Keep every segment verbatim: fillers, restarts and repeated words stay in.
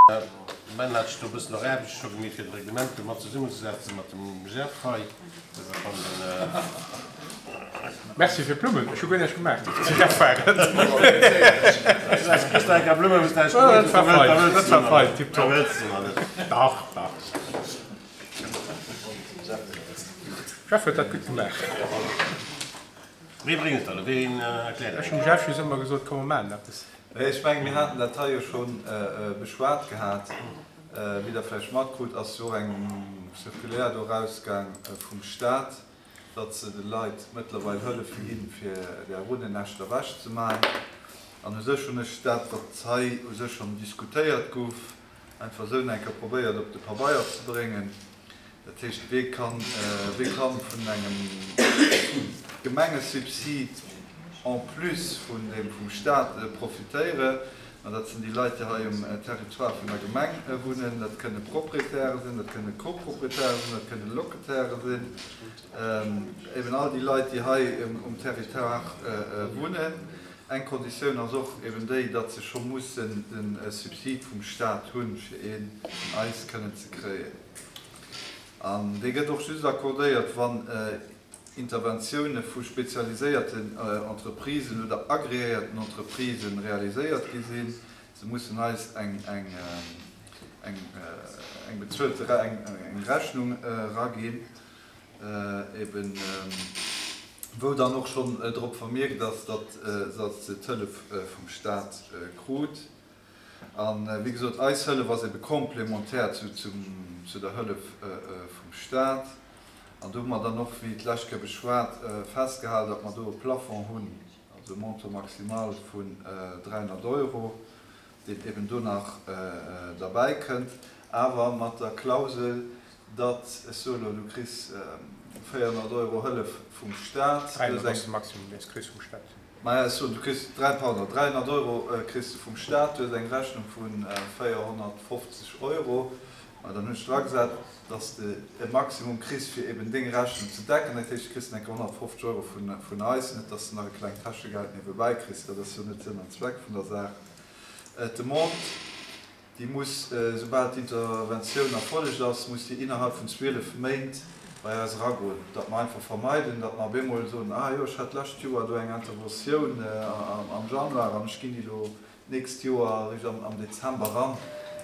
Ben hat sech do e bëssen och Aarbecht scho gemeet fir d'Reglement do mat zesummenzesetzen mat dem Jeff hei. Merci fir d'Blummen, ech hu guer näischt gemaach. Jeff war et. Dat war fein, dat war fein, tiptop. Dach, dach. Jeff huet dat gutt gemaach. Wee bréngt et dann? Ween erkläert et? Ech hunn dem Jeff just ëmmer gesot, komm mer maachen eppes. Ech mengen, mir haten dat hei jo scho beschwat gehat. Wéi Der vläicht matkrut, ass jo och eng Circulaire do erausgaang vum Stat, datt se de Leit mëttlerweil hëllefe ginn, fir där Runnennäschter ewechzemaachen. An u sech hunn ech dat, wat hei u sech schonn diskutéiert gouf, einfach esou nach eng Kéier probéiert op de Pabeier ze bréngen. Dat heescht, wee kann, wee kann vun engem Gemengesubsid en plus vun deem vum Stat profitéieren? Ma dat sinn déi Leit, déi hei um Territoire vun der Gemeng wunnen. Dat kënne Proprietäre sinn, dat kënne Coproprietäre sinn, dat kënne Locataire sinn, eben all déi Leit, déi hei um Territoire wunnen. Eng Konditioun ass och eben déi, datt se scho mussen de Subsid vum Stat hunn, fir ee vun eis kënnen ze kréien. An dee gëtt och just accordéiert, wann Interventioune vu spezialiséierten Entreprisen oder agreéierten Entreprisë realiséiert gi sinn. Se mussen eis eng bezuelte Rechnung eraginn, eben wou dann och schonn drop vermierkt ass, datt se d'Hëllef vum Stat krut. A wéi gesot, eis Hëllef ass ebe complémentaire zu der Hëllef vum Stat. An do hu mer dann och, wéi d'lescht Kéier beschwat, festgehalen, datt mer do e Plafond hunn, also e Montant maximal vun dräihonnert Euro, deen eben do nach derbäikënnt, awer mat der Klausel, datt, ech soe elo, du kriss véierhonnert Euro Hëllef vum Stat, du hues eng. Dräihonnert ass de Maximum, deen s de kriss vum Stat. Maja, ech soen, du kriss dräi, pardon, dräihonnert Euro kriss de vum Stat, du hues eng Rechnung vu véierhonnertfofzeg Euro. Ma dann hunn ech dragesat, datt s de e Maximum kriss, fir eben deng Rechnung ze decken. Dat heescht, du kriss dann eng Kéier honnertfofzeg Euro vun eis, net datt s de nach e klengt Täschegeld niewebäi kriss. Dat ass jo net Sënn an Zweck vun der Saach. D'Demande, déi muss, soubal d'Interventioun erfollegt ass, muss déi innerhalb vun zwielef Méint bei eis eragoen, datt mer einfach vermeiden, datt mer op eemol soen, ah jo, ech hat d'lescht Joer do eng Interventioun am Januar an ech ginn déi elo d'nächst Joer eréischt am Dezember eran.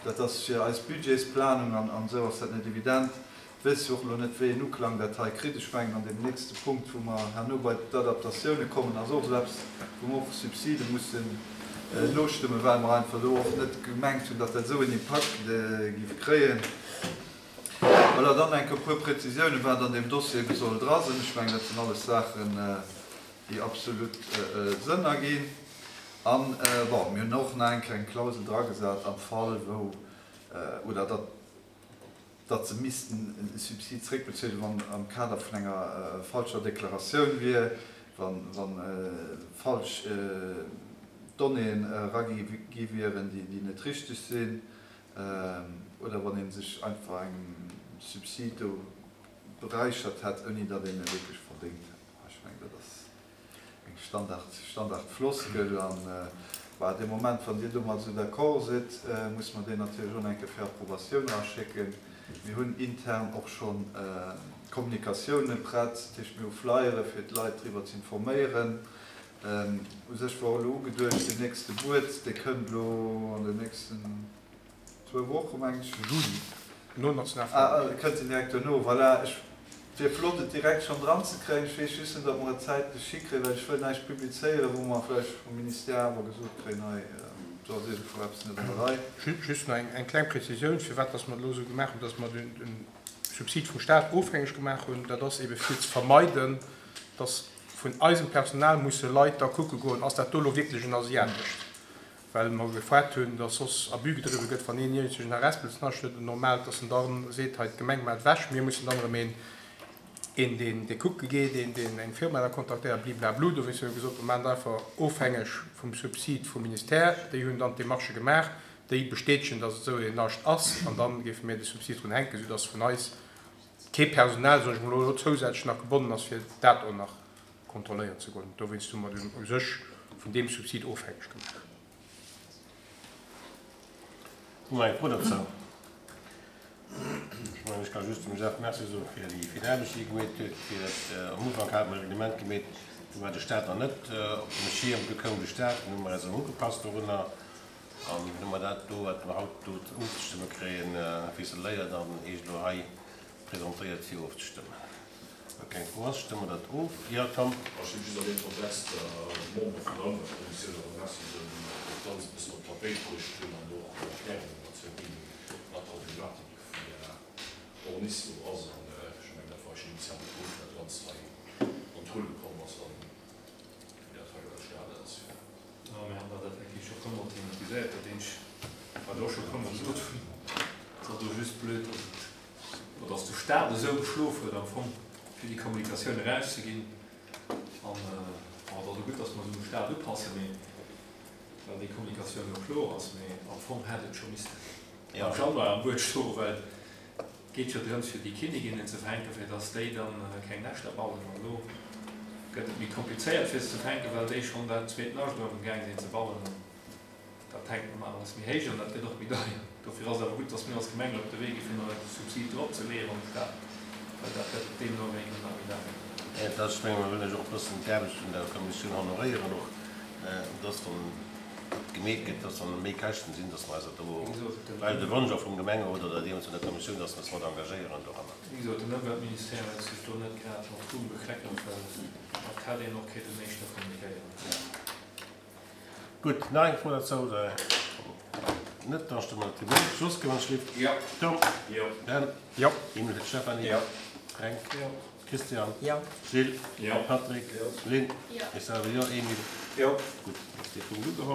Dat ass fir eis Budgetsplanung an esou ass dat net evident. Ech weess jo och elo net, wéi een Uklang dat hei kritt. Ech mengen, an deem nächste Punkt, wou mer herno bei d'Adaptatioune kommen, ass och esou eppes, wou mer och Subside mussen nostëmmen, well mer einfach do och net gemengt hunn, datt dat esou en Impakt géif kréien. Voilà, dann enk e puer Präzisiounen, wat an deem Dossier ebe soll dra sinn. Ech mengen, dat sinn alles Saachen, déi absolut Sënn erginn. An, bon, mir hunn och nach eng kleng Klausel dragesat am Fall wou, oder datt, datt se missten e Subsid zréckbezuelen, wann am Kader vun enger falscher Deklaratioun wier, wa falsch Donnéeën eragi gi wieren, déi net richteg sinn, oder wann ee sech einfach engem Subsid do beräichert hätt, ouni datt een e wierklech verdéngt hätt. Ech mengen, dat ass eng Standard, Standardfloskel. An, bah, dee Moment, wann Dir domat esou d'accord sidd, musse mer deen natierlech och nach eng Kéier fir Approbatioun eraschécken. Mir hunn intern och scho Kommunikatioune prett, dat heescht, mir hu Flyere fir d'Leit driwwer ze informéieren. U sech war och elo ugeduecht, deen nächste Buet, dee kënnt elo an den nächsten zwou Woche mengen ech. Juli, no Nationalfeierdag. Ah, kënnt en direkt duerno, voilà. Ech wier flott et direkt schonn dran ze kréien. Ech weess just net, ob mer et zäitlech hikréien, well ech wëll näischt publizéieren, wou mer vläicht vum Ministère awer gesot kréien, hei, do ass iergendwou eppes net an der Rei. Just nach eng kleng Prezisioun, firwat dass mer et elo esou gemaach hunn, dass mer de Subsid vum Stat ofhängeg gemaach hunn. Dat ass eebe fir ze vermeiden, dass vun eisem Personal musse Leit da kucke goen, ass dat do elo wierklech en asiatescht, well mer gefaart hunn, dass soss Abus gedriwwe gëtt, wann een iergendwou en Harespelsnascht huet, en normaalt, dass en da seet, hei d'Gemeng maacht ewech, mir mussen dann erëm een, een deen dee kucke geet, een deen eng Firma da kontaktéiert, bliblablu. Dowéinst hu mir gesot, mir maachen et einfach ofhängeg vum Subsid vum Ministère. Déi hunn dann d'Demarchë gemaach, déi bestätegen, dass et esou een Nascht ass, an da géife mir de Subsid drun hänken, soudass vun eis kee Personal, soen ech mol, elo zousätzlech nach gebonnen ass, fir dat och nach kontrolléieren ze goen. Dowéinst hu mer dunn u sech vun deem Subsid ofhängeg gemaach. Hu mer eng Fro dozou? Ech mengen, ech ka just dem Jeff Merci soen fir déi vill Aarbecht, déi e gemeet huet, fir dat. Am Ufank hate mer e Reglement gemeet, do war de Staat nach net op dem Schierm. Du koum de Staat, dunn hu mer eis erëm ugepasst dorunner an dunn hu mer dat do, wat mer haut do ofzestëmme kréien, ficeléiert an Iech elo hei presentéiert fir ofzestëmmen. Wa keng Fro ass, stëmme mer dat of. Jo, Tom? Ech wëll just an deem Kontext de Membere vun der Ëmweltkommissioun awer Merci soen, déi dat Ganzt e bëssen op d'Tapéit bruecht hunn an och Erklärungen dozou ginn, wat d'Problematik vun där Horniss do ass. An ech mengen, dat war eisen initiale Punkt, wéi dat Ganzt hei an d'Rulle komm ass an wéi dat hei elo entstanen ass. Jo, mir han dat effektiv scho puer mol thematiséiert, dat eenzeg, wat ech och scho puer mol gesot hunn, et ass do just blöd, dass et, oder dass de Staat esou geschlof huet am Fong, fir déi Kommunikatioun erauszeginn. An, bon, et ass och gutt, dass mer se um Staat upassen, mee well déi Kommunikatioun elo kloer ass, mee am Fong hätt et scho missten am Januar am Buet stoen, well et geet jo drëms, fir déi Kinniginnen ze fänken, fir dass déi dann keng Näschter bauen. An elo gëtt et méi komplizéiert, fir se ze fänken, well déi schonn dat zweet Nascht do amgaang sinn ze bauen. An dat hänkt normalerweis méi héich an dat gëtt och méi deier. Dofir ass et awer gutt, dass mir als Gemeng elo op de Wee gi fir nach e Subsid drop ze leeën am Staat, well dat gëtt deemno wéi nach méi deier. Et ass, ech menge mer wëllen lech och e bëssen d'Aarbecht vun der Kommissioun honoréieren och, dass wann et gemeet gëtt, dass dann méi Käschten sinn, dass mer eis dat do, well de Wonsch och vum Gemengerot oder deemools vun der Kommissioun, dass mer eis mat engagéieren doranner. Wéi gesot, den Ëmweltministère huet sech do net grad mat Ruhm bekleckert, well dat hätt een och kéinten éischter kommunizéieren. Gutt, nach eng Fro derzou oder net? Da stëmme mer dat of. Jos, Gewannschlift? Jo. Tom? Jo. Dan? Jo. Emil, Stéphanie? Jo. Fränk? Jo. Christian? Jo. Gilles? Jo. Patrick? Jo. Lynn? Jo. Ech selwer jo. Emil? Jo. Gutt, ass dee Punkt ugeholl.